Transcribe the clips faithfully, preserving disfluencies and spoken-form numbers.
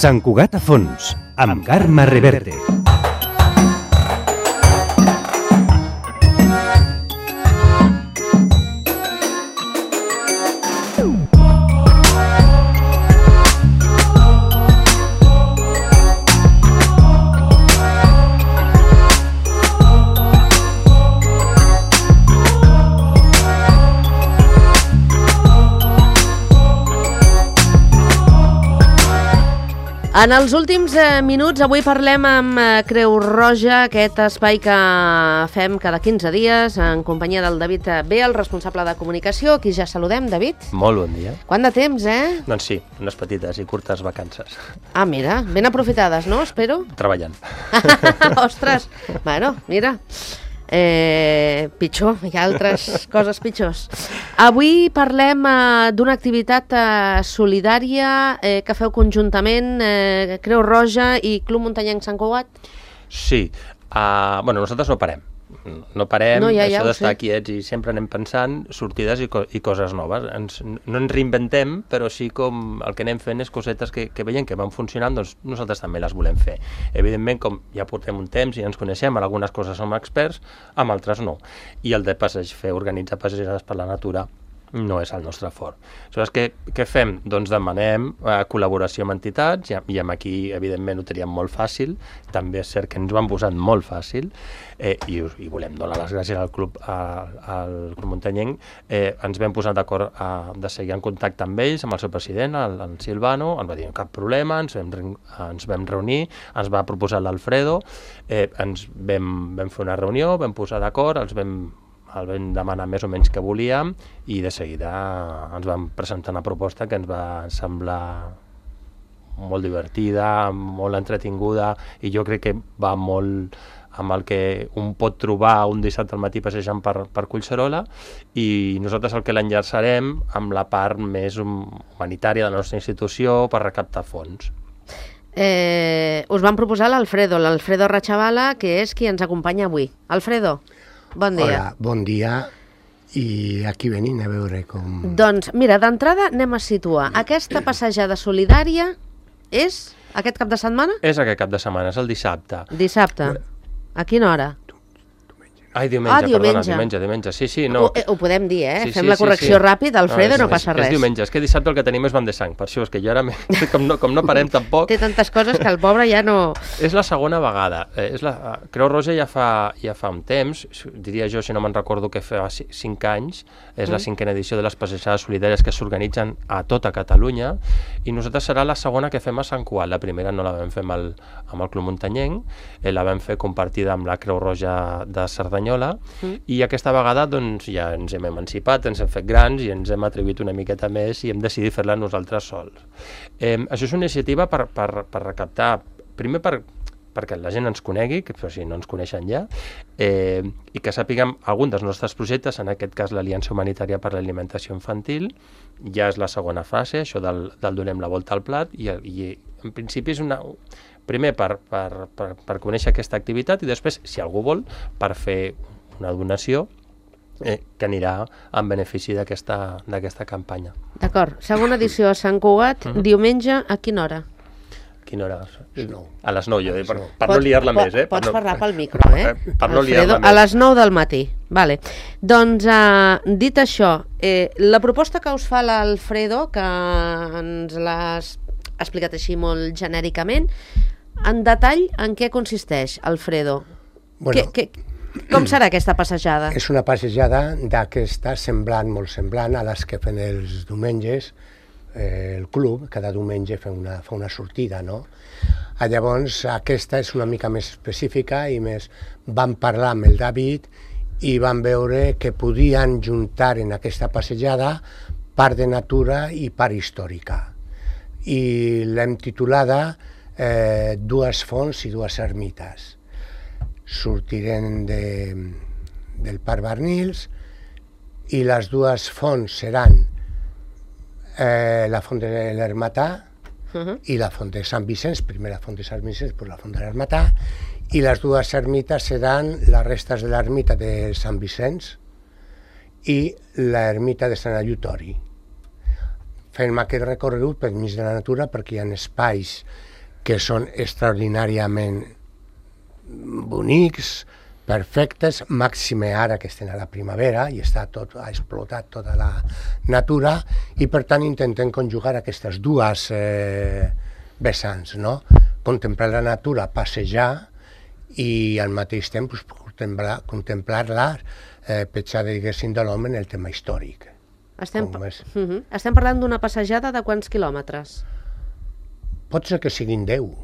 Sant Cugat a fons, amb Carme Reverte. En els últims eh, minuts, avui parlem amb eh, Creu Roja, aquest espai que fem cada quinze dies en companyia del David B, el responsable de comunicació. Aquí ja saludem, David. Molt bon dia. Quant de temps, eh? Doncs sí, unes petites i curtes vacances. Ah, mira, ben aprofitades, no? Espero. Treballant. Ostres, bueno, mira. Eh, pitjor, hi ha altres coses pitjors. Avui parlem eh, d'una activitat eh, solidària eh, que feu conjuntament eh, Creu Roja i Club Muntanyenc Sant Cugat. Sí, uh, bueno, nosaltres no parem. No parem, no, ja, ja, això d'estar sé. quiets i sempre anem pensant sortides i, co i coses noves. Ens, no ens reinventem, però sí com el que anem fent és cosetes que, que veiem que van funcionant, doncs nosaltres també les volem fer. Evidentment, com ja portem un temps i ens coneixem, en algunes coses som experts, amb altres no. I el de passeig, fer organitzar passejades per la natura no és el nostre fort. Aleshores, què, què fem? Doncs demanem eh, col·laboració amb entitats, i, i amb aquí, evidentment, ho teníem molt fàcil, també és cert que ens ho han posat molt fàcil, eh, i, i volem donar les gràcies al Club, a, al Club Muntanyenc. Eh, ens vam posar d'acord de seguir en contacte amb ells, amb el seu president, el, el Silvano, ens va dir cap problema, ens vam, ens vam reunir, ens va proposar l'Alfredo, eh, ens vam, vam fer una reunió, vam posar d'acord, els vam el vam demanar més o menys què volíem i de seguida ens vam presentar una proposta que ens va semblar molt divertida, molt entretinguda i jo crec que va molt amb el que un pot trobar un dissabte al matí passejant per, per Collserola i nosaltres el que l'enllaçarem amb la part més humanitària de la nostra institució per recaptar fons. Eh, us van proposar l'Alfredo, l'Alfredo Rachavala, que és qui ens acompanya avui. Alfredo, bon dia. Hola, bon dia, i aquí venim a veure com... Doncs, mira, d'entrada anem a situar. Aquesta passejada solidària és aquest cap de setmana? És aquest cap de setmana, és el dissabte. Dissabte. A quina hora? Ai, diumenge, ah, diumenge. diumenge. perdona, diumenge, diumenge, sí, sí, no. Ho, ho podem dir, eh? Sí, Fem sí, la sí, correcció sí. ràpid, Alfredo, no, no és, passa res. És diumenge, és que dissabte el que tenim és Van de Sang, per això és que jo ara, com no, com no parem tampoc... Té tantes coses que el pobre ja no... És la segona vegada. Eh, és la, Creu Roja ja fa, ja fa un temps, diria jo, si no me'n recordo que fa cinc anys, és mm. la cinquena edició de les passejades solidàries que s'organitzen a tota Catalunya, i nosaltres serà la segona que fem a Sant Cugat. La primera no la vam fer amb el, amb el Club Muntanyenc, eh, la vam fer compartida amb la Creu Roja de Cerdanyola, mm. i aquesta vegada doncs, ja ens hem emancipat, ens hem fet grans i ens hem atribuït una miqueta més i hem decidit fer-la nosaltres sols. Eh, això és una iniciativa per, per, per recaptar, primer per perquè la gent ens conegui, que si no ens coneixen ja, eh, i que sàpiguem algun dels nostres projectes, en aquest cas l'Aliança Humanitària per l'Alimentació Infantil, ja és la segona fase, això del, del donem la volta al plat, i, i en principi és una... Primer per, per, per, per conèixer aquesta activitat i després, si algú vol, per fer una donació eh, que anirà en benefici d'aquesta d'aquesta campanya. D'acord. Segona edició a Sant Cugat, uh-huh. diumenge, a quina hora? A quina hora? No. A les nou, jo, per, per no liar-la més, eh? Pots no, parlar pel micro, eh? Per no liar-la més. A les nou del matí. Vale. Doncs, eh, dit això, eh, la proposta que us fa l'Alfredo, que ens l'has explicat així molt genèricament, en detall, en què consisteix, Alfredo? Bueno, que, que, com serà aquesta passejada? És una passejada d'aquesta semblant, molt semblant a les que fan els diumenges, eh, el club, cada diumenge fa una, fa una sortida, no? Ah, llavors, aquesta és una mica més específica i més vam parlar amb el David i vam veure que podien juntar en aquesta passejada part de natura i part històrica. I l'hem titulada eh, Dues fonts i dues ermites. Sortirem de, del Parc Barnils i les dues fonts seran eh, la font de l'Ermatà uh-huh. i la font de Sant Vicenç, primer la font de Sant Vicenç, després la font de l'Ermatà, i les dues ermites seran les restes de l'ermita de Sant Vicenç i l'ermita de Sant Eleutori. Fem aquest recorregut per mig de la natura perquè hi ha espais que són extraordinàriament bonics, perfectes, màxime ara que estem a la primavera i està tot, ha explotat tota la natura, i per tant intentem conjugar aquestes dues eh, vessants, no? Contemplar la natura, passejar, i al mateix temps pues, contemplar, contemplar-la eh, petjada, diguéssim, de l'home en el tema històric. Estem, uh -huh. Estem parlant d'una passejada de quants quilòmetres? Pot ser que siguin deu.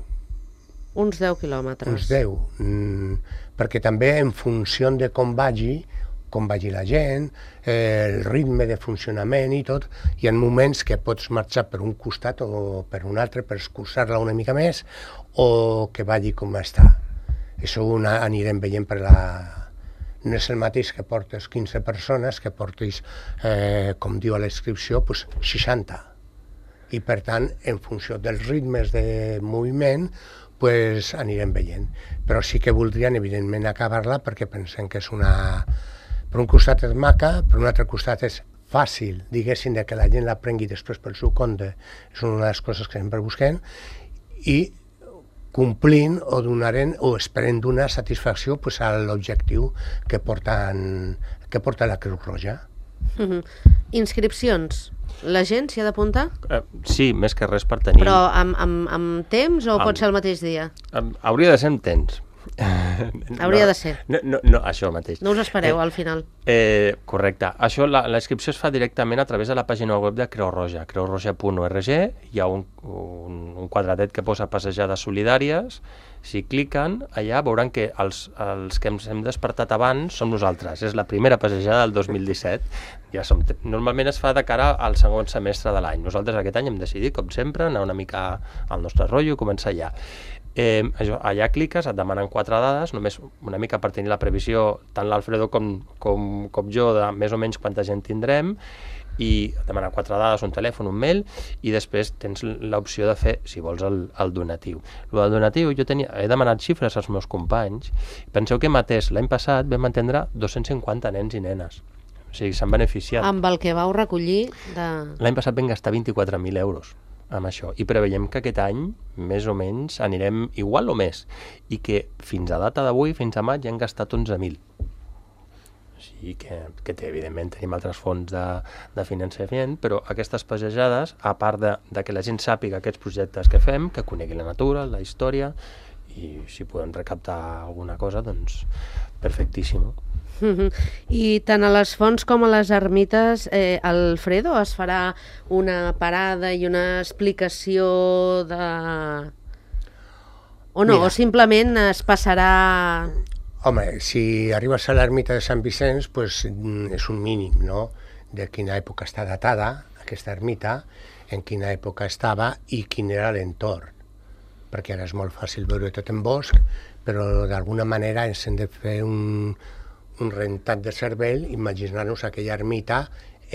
Uns deu quilòmetres. Uns deu, mm, perquè també en funció de com vagi, com vagi la gent, eh, el ritme de funcionament i tot, hi ha moments que pots marxar per un costat o per un altre per escurçar-la una mica més, o que vagi com està. Això ho anirem veient per la... No és el mateix que portes quinze persones que portis, eh, com diu a la inscripció, pues, seixanta. I per tant, en funció dels ritmes de moviment, pues, anirem veient. Però sí que voldrien, evidentment, acabar-la perquè pensem que és una... Per un costat és maca, per un altre costat és fàcil, diguéssim, de que la gent la prengui després pel seu compte. És una de les coses que sempre busquem, i complint o donaren o esperem donar satisfacció pues, a l'objectiu que, porten, que porta la Creu Roja. Uh-huh. Inscripcions. La gent s'hi ha d'apuntar? Uh, sí, més que res per tenir... Però amb, amb, amb temps o amb... pot ser el mateix dia? Um, hauria de ser amb temps. Hauria no, de ser. No, no, no, això mateix. No us espereu eh, al final. Eh, correcte. Això, la, la inscripció es fa directament a través de la pàgina web de Creu Roja, creu roja punt org. Hi ha un, un, un quadradet que posa passejades solidàries. Si cliquen, allà veuran que els, els que ens hem despertat abans som nosaltres. És la primera passejada del dos mil disset. Ja som, normalment es fa de cara al segon semestre de l'any. Nosaltres aquest any hem decidit, com sempre, anar una mica al nostre rotllo i començar allà. Eh, això, allà cliques, et demanen quatre dades, només una mica per tenir la previsió, tant l'Alfredo com, com, com jo, de més o menys quanta gent tindrem, i et demanen quatre dades, un telèfon, un mail, i després tens l'opció de fer, si vols, el, el donatiu. El del donatiu, jo tenia, he demanat xifres als meus companys. Penseu que mateix l'any passat vam atendre dos-cents cinquanta nens i nenes. O sigui, s'han beneficiat. Amb el que vau recollir de... L'any passat vam gastar vint-i-quatre mil euros amb això, i preveiem que aquest any més o menys anirem igual o més, i que fins a data d'avui, fins a maig, ja han gastat onze mil. O sigui que, que té, evidentment tenim altres fons de, de finançament, però aquestes passejades, a part de, de que la gent sàpiga aquests projectes que fem, que conegui la natura, la història, i si podem recaptar alguna cosa, doncs perfectíssim. Uh-huh. I tant a les fonts com a les ermites, eh, Alfredo, es farà una parada i una explicació de... O no, Mira. O simplement es passarà... Home, si arribes a l'ermita de Sant Vicenç, pues, és un mínim, no?, de quina època està datada aquesta ermita, en quina època estava i quin era l'entorn. Perquè ara és molt fàcil veure tot en bosc, però d'alguna manera ens hem de fer un, un rentat de cervell, imaginar-nos aquella ermita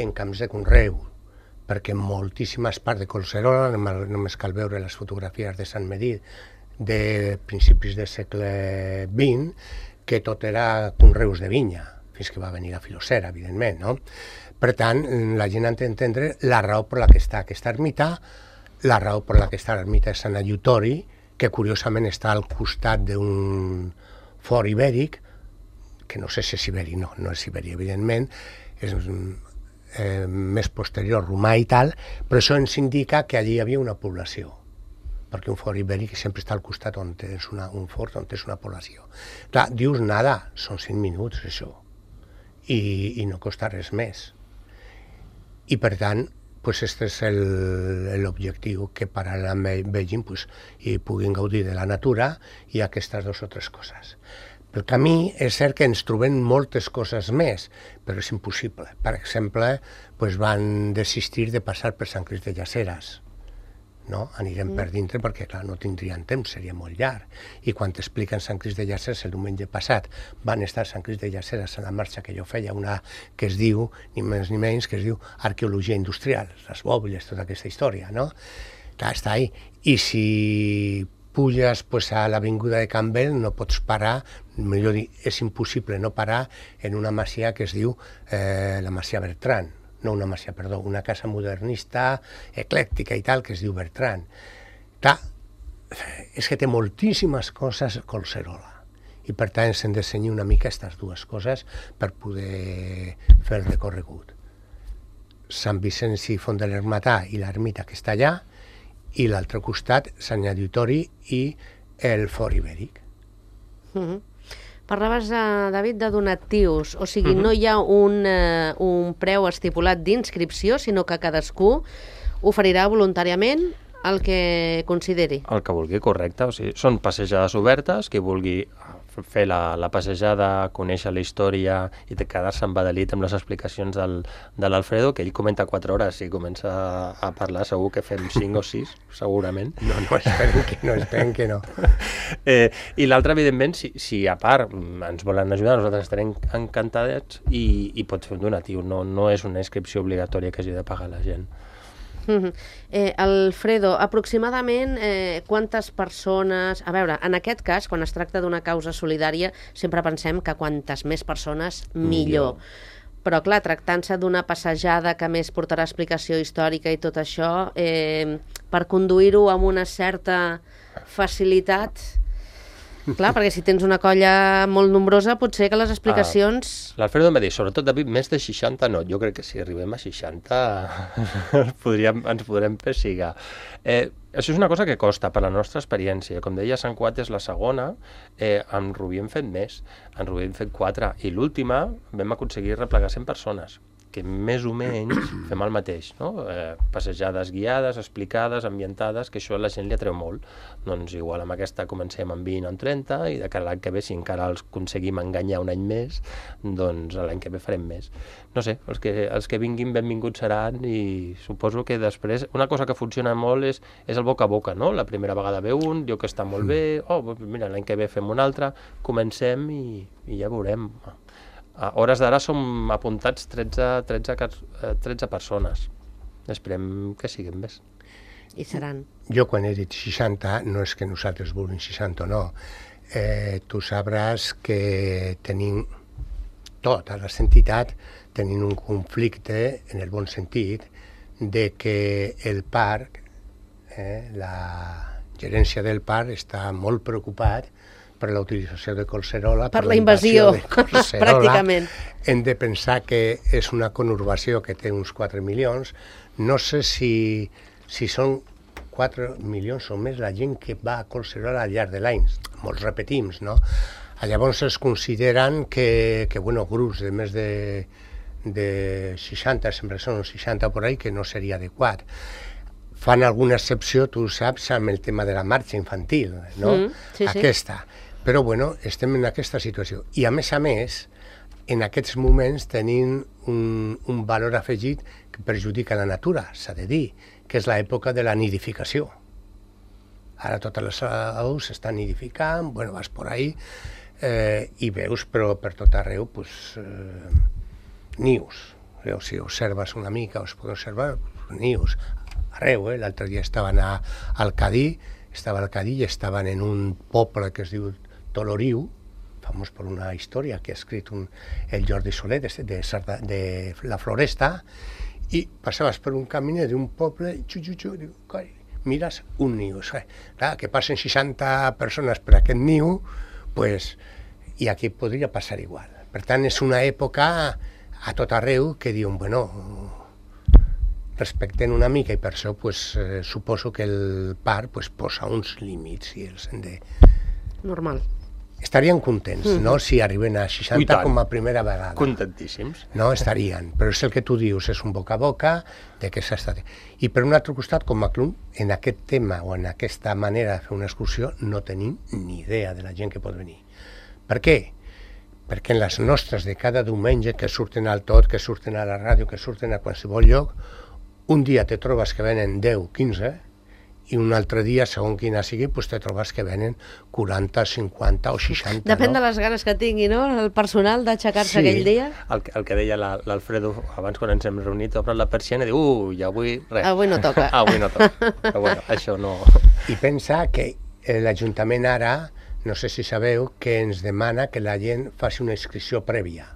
en camps de conreu, perquè en moltíssimes parts de Collserola, només cal veure les fotografies de Sant Medir de principis del segle vint, que tot era conreus de vinya, fins que va venir la filocera, evidentment, no? Per tant, la gent ha d'entendre la raó per la que està aquesta ermita, la raó per la que està l'ermita de Sant Ayutori, que curiosament està al costat d'un fort ibèric, que no sé si és ibèric, no, no és ibèric, evidentment, és eh, més posterior, romà i tal, però això ens indica que allí hi havia una població, perquè un fort ibèric sempre està al costat on tens una, un fort, on tens una població. Clar, dius nada, són cinc minuts, això, i, i no costa res més. I per tant, pues este és l'objectiu, que paral·lelament vegin pues, i puguin gaudir de la natura i aquestes dues o tres coses. Pel camí és cert que ens trobem moltes coses més, però és impossible. Per exemple, pues, van desistir de passar per Sant Crist de Llaceres. No? Anirem mm. per dintre perquè clar, no tindrien temps, seria molt llarg. I quan t'expliquen Sant Crist de Llaceres, el diumenge passat van estar a Sant Crist de Llaceres a la marxa que jo feia, una que es diu, ni més ni menys, que es diu Arqueologia Industrial, les bòbiles, tota aquesta història, no? Clar, està ahí. I si puges pues, a l'avinguda de Campbell, no pots parar, millor dir, és impossible no parar en una masia que es diu eh, la Masia Bertran, no una masia, perdó, una casa modernista, eclèctica i tal, que es diu Bertran. Clar, és que té moltíssimes coses Collserola. I per tant s'han de cenyir una mica aquestes dues coses per poder fer el recorregut. Sant Vicenç i Font de l'Ermità i l'ermita que està allà, i l'altre costat Sant Auditori i el Fort Ibèric. Uh-huh. Parlaves, uh, David, de donatius, o sigui, Uh-huh. no hi ha un, uh, un preu estipulat d'inscripció, sinó que cadascú oferirà voluntàriament el que consideri. El que vulgui, correcte. O sigui, són passejades obertes, qui vulgui fer la, la passejada, conèixer la història i quedar-se embadalit amb les explicacions del, de l'Alfredo, que ell comenta quatre hores, si comença a parlar segur que fem cinc o sis, segurament. No, no, esperen que no, esperen que no. Eh, I l'altre, evidentment, si, si a part ens volen ajudar, nosaltres estarem encantats i, i pots fer un donatiu. No, no és una inscripció obligatòria que hagi de pagar la gent. Uh-huh. eh, Alfredo, aproximadament eh, quantes persones... A veure, en aquest cas, quan es tracta d'una causa solidària, sempre pensem que quantes més persones, millor. millor. Però, clar, tractant-se d'una passejada que més portarà explicació històrica i tot això, eh, per conduir-ho amb una certa facilitat... Clar, perquè si tens una colla molt nombrosa, potser que les explicacions... Ah, L'Alfredo em va dir, sobretot, David, més de seixanta no. Jo crec que si arribem a seixanta podríem, ens podrem persigar. Eh, això és una cosa que costa per la nostra experiència. Com deia, Sant Cuat és la segona, eh, amb Rubí hem fet més, en Rubí hem fet quatre, i l'última vam aconseguir replegar cent persones, que més o menys fem el mateix, no? Eh, passejades guiades, explicades, ambientades, que això a la gent li atreu molt. Doncs igual amb aquesta comencem amb vint o amb trenta, i de cara a l'any que ve, si encara els aconseguim enganyar un any més, doncs l'any que ve farem més. No sé, els que, els que vinguin benvinguts seran, i suposo que després, una cosa que funciona molt és, és el boca a boca, no? La primera vegada ve un, diu que està molt bé, oh, mira, l'any que ve fem un altre, comencem i, i ja veurem. A hores d'ara som apuntats tretze, tretze, tretze persones. Esperem que siguin més. I seran. Jo quan he dit seixanta, no és que nosaltres vulguin seixanta o no. Eh, tu sabràs que tenim, totes les entitats, tenim un conflicte, en el bon sentit, de que el parc, eh, la gerència del parc està molt preocupat per la utilització de Collserola, per, per la invasió, invasió de pràcticament. Hem de pensar que és una conurbació que té uns quatre milions. No sé si, si són quatre milions o més la gent que va a Collserola al llarg de l'any. Molts repetim, no? Llavors es consideren que, que bueno, grups de més de, de seixanta, sempre són seixanta por ahí, que no seria adequat. Fan alguna excepció, tu saps, amb el tema de la marxa infantil, no? Mm, sí, sí. Aquesta. Però, bueno, estem en aquesta situació. I, a més a més, en aquests moments tenim un, un valor afegit que perjudica la natura, s'ha de dir, que és l'època de la nidificació. Ara totes les aus s'estan nidificant, bueno, vas por ahí, eh, i veus, però per tot arreu, pues, eh, nius. O si observes una mica, us podeu observar nius arreu, eh? L'altre dia estaven a, al Cadí, estava al Cadí i estaven en un poble que es diu Toloriu, famós per una història que ha escrit un, el Jordi Soler de, de, de La Floresta, i passaves per un caminet d'un poble, xu, xu, xu, diu, coi, mires un niu. Clar, que passen seixanta persones per aquest niu, pues, i aquí podria passar igual. Per tant, és una època a tot arreu que diuen, bueno, respecten una mica, i per això pues, eh, suposo que el parc pues, posa uns límits i els hem de... Normal. Estarien contents, mm-hmm. no?, si arriben a seixanta com a primera vegada. Contentíssims. No, estarien, però és el que tu dius, és un boca a boca de que s'ha estat... I per un altre costat, com a club, en aquest tema o en aquesta manera de fer una excursió no tenim ni idea de la gent que pot venir. Per què? Perquè en les nostres de cada diumenge, que surten al tot, que surten a la ràdio, que surten a qualsevol lloc, un dia te trobes que venen deu, quinze, i un altre dia, segons quina sigui, pues te trobes que venen quaranta, cinquanta o seixanta. Depèn no? de les ganes que tingui, no?, el personal d'aixecar-se sí. aquell dia. El, el que deia l'Alfredo abans quan ens hem reunit, obre la persiana i diu, uh, i avui res. Avui no toca. avui no toca. Però bueno, això no... I pensa que l'Ajuntament ara, no sé si sabeu, que ens demana que la gent faci una inscripció prèvia.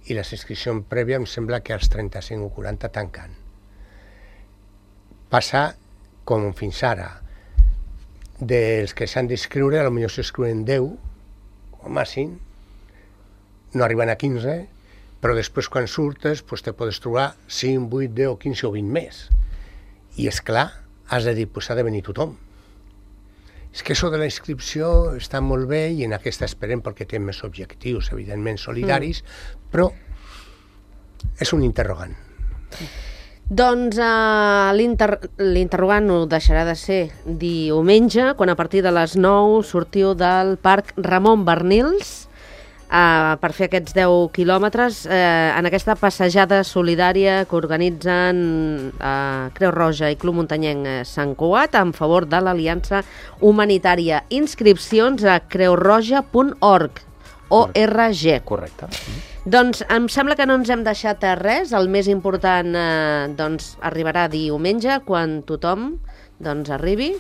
I la inscripció prèvia em sembla que als trenta-cinc o quaranta tanquen. Passa com fins ara. dels que s'han d'inscriure, potser s'inscriuen deu, o màxim, no arriben a quinze, però després quan surtes pues, te podes trobar cinc, vuit, deu, quinze o vint més. I és clar, has de dir, pues, ha de venir tothom. És que això de la inscripció està molt bé i en aquesta esperem perquè té més objectius, evidentment solidaris, mm. però és un interrogant. Doncs uh, l'interrogant ho deixarà de ser diumenge, quan a partir de les nou sortiu del Parc Ramon Barnils uh, per fer aquests deu quilòmetres uh, en aquesta passejada solidària que organitzen uh, Creu Roja i Club Muntanyenc Sant Cugat en favor de l'Aliança Humanitària. Inscripcions a creu roja punt org. O R G. Correcte. Doncs em sembla que no ens hem deixat res. El més important eh, doncs, arribarà diumenge, quan tothom doncs, arribi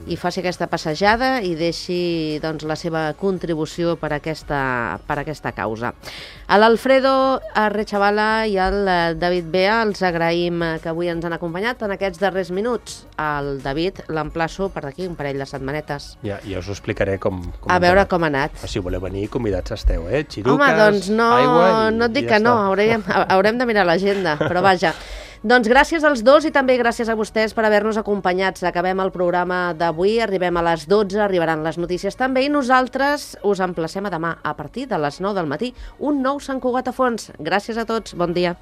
i faci aquesta passejada i deixi doncs, la seva contribució per aquesta, per aquesta causa. A l'Alfredo Rechavala i al David Bea els agraïm que avui ens han acompanyat en aquests darrers minuts. El David l'emplaço per d'aquí un parell de setmanetes. Ja, ja us ho explicaré com... com a veure com ha anat. Si voleu venir, convidats esteu, eh? Xiruques, home, doncs no, aigua i, no et dic ja que no, està. haurem, haurem de mirar l'agenda, però vaja. Doncs gràcies als dos i també gràcies a vostès per haver-nos acompanyats. Acabem el programa d'avui, arribem a les dotze, arribaran les notícies també i nosaltres us emplacem a demà a partir de les nou del matí un nou Sant Cugat a fons. Gràcies a tots, bon dia.